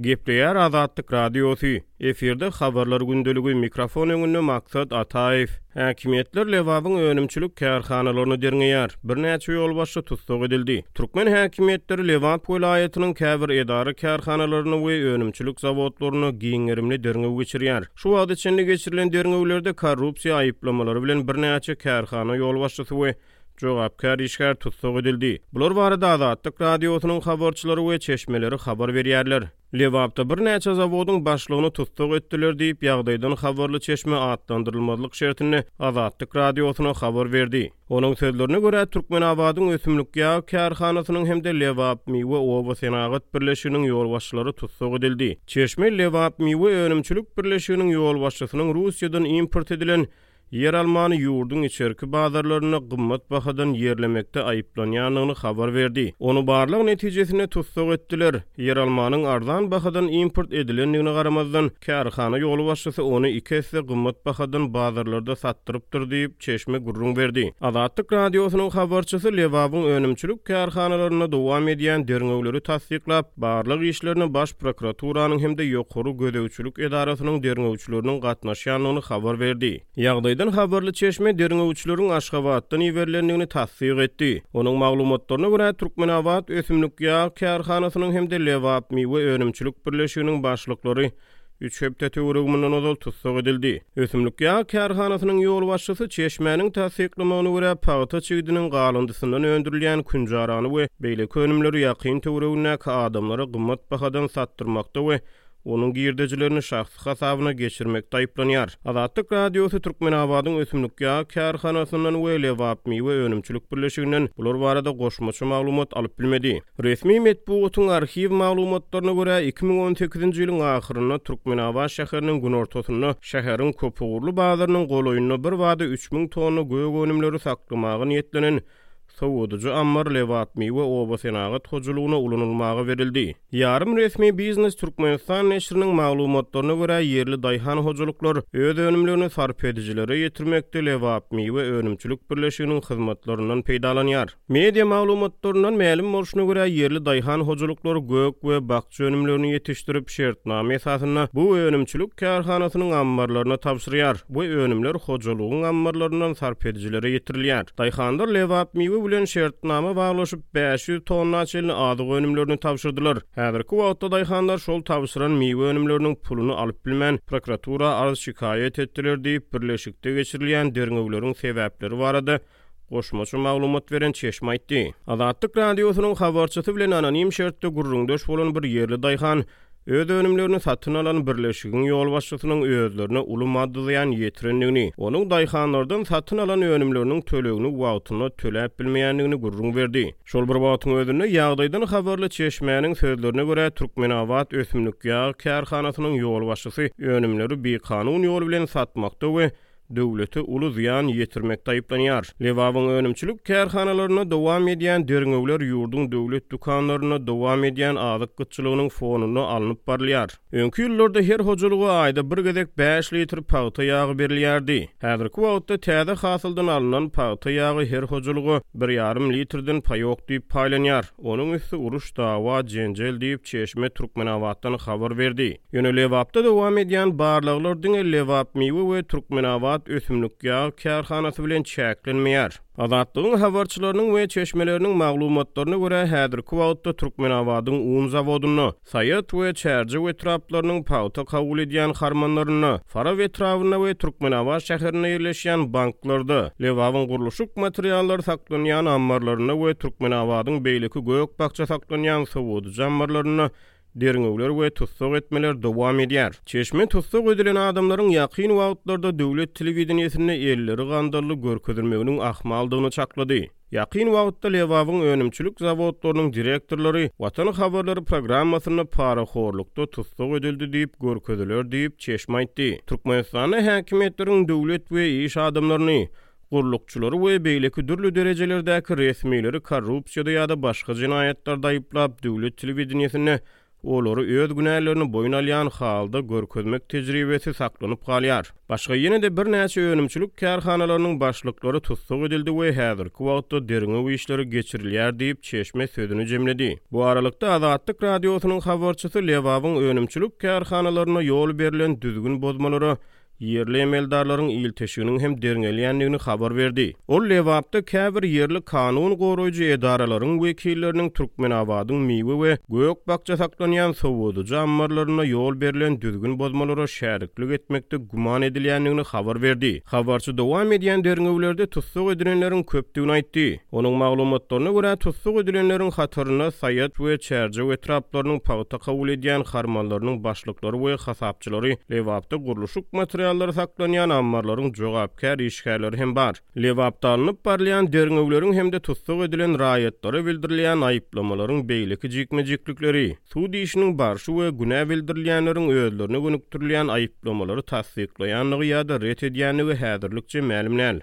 Gepleýär Azatlyk Radiosy, efirde Habarlar gündeligi, mikrofon öňünde Maksat Ataýew. Häkimiýetler Lebabyň önümçilik kärhanalaryny derňeýär, birnäçe ýolbaşçy tussag edildi. Türkmen häkimiýetleri Lebap welaýatynyň käbir edara-kärhanalarynda we önümçilik zawodlarynda giň gerimli derňew geçirýär. Şu wagta çenli geçirilen derňewlerde korrupsiýa aýyplamalary bilen birnäçe kärhana ýolbaşçysy we Jogapkär işgär tussag edildi. Bular barada Azatlyk Radiosynyň habarçylary we çeşmeleri habar berýärler. Lebapda birnäçe zawodyň başlygyny tussag etdiler diýip, ýagdaýdan habarly çeşme atlandyrylmazlyk şertinde Azatlyk Radiosyna habar berdi. Onuň sözlerine görä, Türkmenabadyň ösümlik ýag kärhanasynyň hem-de Lebapmiwe oba senagat birleşiginiň ýolbaşçylary tussag edildi. Çeşme Lebapmiwe önümçilik birleşiginiň ýolbaşçysynyň Russiýadan import edilen Ýeralmany ýurduň içerki bazarlarynda gymmat bahadan ýerlemekde aýyplanýandygyny habar berdi. Ony barlag netijesinde tussag etdiler. Ýeralmanyň arzan bahadan import edilendigine garamazdan, kärhana ýolbaşçysy ony iki esse gymmat bahadan bazarlarda satdyrypdyr diýip, çeşme gürrüň berdi. Azatlyk Radiosynyň habarçysy Lebabyň önümçilik kärhanalarynda dowam edýän derňewleri tassyklap, barlag işlerine Baş prokuraturanyň hem-de Ýokary gözegçilik edarasynyň derňewçileriniň gatnaşýandygyny habar berdi. Ýagdaýdan habarly çeşme derňewçileriň Aşgabatdan iberilendigini tassyk etdi. Onuň maglumatlaryna görä, Türkmenabat ösümlik ýag kärhanasynyň hem-de Lebapmiwe önümçilik birleşiginiň başlyklary üç hepde töweregi mundan ozal tussag edildi. Ösümlik ýag kärhanasynyň ýolbaşçysy çeşmäniň tassyklamagyna görä, pagta çigidiniň galyndysyndan öndürilýän künjarany we beýleki önümleri ýakyn töweregindäki adamlara gymmat bahadan satdyrmakda we onuň girdejilerini şahsy hasabyna geçirmekde aýyplanýar. Azatlyk Radiosy Türkmenabadyň ösümlik ýag kärhanasyndan we Lebapmiwe önümçilik birleşiginden bular barada goşmaça maglumat alyp bilmedi. Resmi metbugatyň arhiw maglumatlaryna görä, 2018-nji ýylyň ahyrynda Türkmenabat şäheriniň günortasynda, şäheriň köpugurly bazarynyň golaýynda birbada 3000 tonna gök önümleri saklamaga niýetlenen sowadyjy ammar Lebapmiwe obasenagat hojalygyna ulanylmaga berildi. Ýarym resmi Biznes Türkmenistan neşiriniň maglumatlaryna görä, ýerli daýhan hojalyklar öz önümlerini sarp edijilere ýetirmekde Lebapmiwe önümçilik birleşiginiň hyzmatlaryndan peýdalanýar. Media maglumatlaryndan mälim bolşuna görä, ýerli daýhan hojalyklary gök we bakja önümlerini ýetişdirip, şertnama esasynda bu önümçilik kärhanasynyň ammarlaryna tabşyrýar we önümler hojalygyň ammarlaryndan sarp edijilere ýetirilýär. Daýhanlar Lebapmiwe bilen şertnama baglaşyp, 500 tonna çenli azyk önümlerini tabşyrdylar. Häzirki wagtda daýhanlar şol tabşyran miwe önümleriniň puluny alyp bilmän, prokuratura arz-şikaýat etdiler diýip, birleşikde geçirilýän derňewleriň sebäpleri barada goşmaça maglumat beren çeşme aýtdy. Azatlyk Radiosynyň habarçysy bilen anonim şertde gürrüňdeş bolan bir ýerli daýhan öz önümlerini satyn alan birleşigiň ýolbaşçysynyň özlerine uly maddy zyýan ýetirendigini, onuň daýhanlardan satyn alan önümleriniň tölegini wagtynda töläp bilmeýändigini gürrüň berdi. Şol bir wagtyň özünde, ýagdaýdan habarly çeşmäniň sözlerine görä, Türkmenabat ösümlik ýag kärhanasynyň ýolbaşçysy önümleri bikanun ýol bilen satmakda we döwlete uly zyýan ýetirmekde aýyplanýar. Lebabyň önümçilik kärhanalarynda dowam edýän derňewler ýurduň döwlet dükanlarynda dowam edýän azyk gytçylygynyň fonunda alnyp barylýar. Öňki ýyllarda her hojalyga aýda bir gezek bäş litr pagta ýagy berilýärdi. Häzirki wagtda täze hasyldan alnan pagta ýagy her hojalyga bir ýarym litrden paýok diýip paýlanýar. Onuň üsti uruş, dawa, jenjel diýip, çeşme Türkmenabatdan habar berdi. Ýöne Lebapda dowam edýän barlaglar diňe Lebapmiwe we Türkmenabat ösümlik ýag kärhanasy bilen çäklenmeýär. Azatlygyň habarçylarynyň we çeşmeleriniň maglumatlaryna görä, häzirki wagtda Türkmenabadyň un zawodynda, Saýat we Çärjew etraplarynyň pagta kabul edýän harmanlarynda, Farap etrabynda we Türkmenabat şäherinde ýerleşýän banklarda, Lebabyň gurluşyk materiallary saklanýan ammarlarynda we Türkmenabadyň beýleki gök-bakja saklanýan sowadyjy ammarlarynda Derňewler we tussag etmeler dowam edýär. Çeşme tussag edilen adamlaryň ýakyn wagtlarda döwlet telewideniýesinde elleri gandally görkezilmeginiň ahmaldygyny çaklady. Ýakyn wagtda Lebabyň önümçilik zawodlarynyň direktorlary Watan habarlary programmasynda parahorlukda tussag edildi diýip görkeziler diýip, çeşme aýtdy. Türkmenistanda häkimiýetleriň döwlet we iş adamlaryny, gullukçylary we beýleki dürli derejelerdäki resmileri korrupsiýada ýa-da başga jenaýatlarda aýyplap, döwlet telewideniýesinde. Olary öz günälerini boýun alýan halda görkezmek tejribesi saklanyp galýar. Başga ýene-de birnäçe önümçilik kärhanalarynyň başlyklary tussag edildi we häzirki wagtda derňew işleri geçirilýär diýip, çeşme sözüni jemledi. Bu aralykda, Azatlyk Radiosynyň habarçysy Lebabyň önümçilik kärhanalarynda ýol berlen düzgün bozmalara ýerli emeldarlaryň ilteşiginiň hem derňelýändigini habar berdi. Ol Lebapda käbir ýerli kanun goraýjy edaralaryň wekilleriniň Türkmenabadyň miwe we gök-bakja saklanýan sowadyjy ammarlarynda ýol berlen düzgün bozmalara şäriklik etmekde güman edilýändigini habar berdi. Habarçy dowam edýän derňewlerde tussag edilenleriň köpdügini aýtdy. Onuň maglumatlaryna görä, tussag edilenleriň hatarynda Saýat we Çärjew etraplarynyň pagta kabul edýän harmanlarynyň başlyklary we hasapçylary, Lebapda gurluşyk materiallary saklanýan ammarlaryň jogapkär işgärleri hem bar. Lebapda alnyp barylýan derňewleriň hem-de tussag edilen raýatlara bildirilýän aýyplamalaryň beýleki jikme-jiklikleri, sud işiniň barşy we günä bildirilýänleriň özlerine gönükdirilýän aýyplamalary tassyklaýandygy ýa-da ret edýändigi häzirlikçe mälim däl.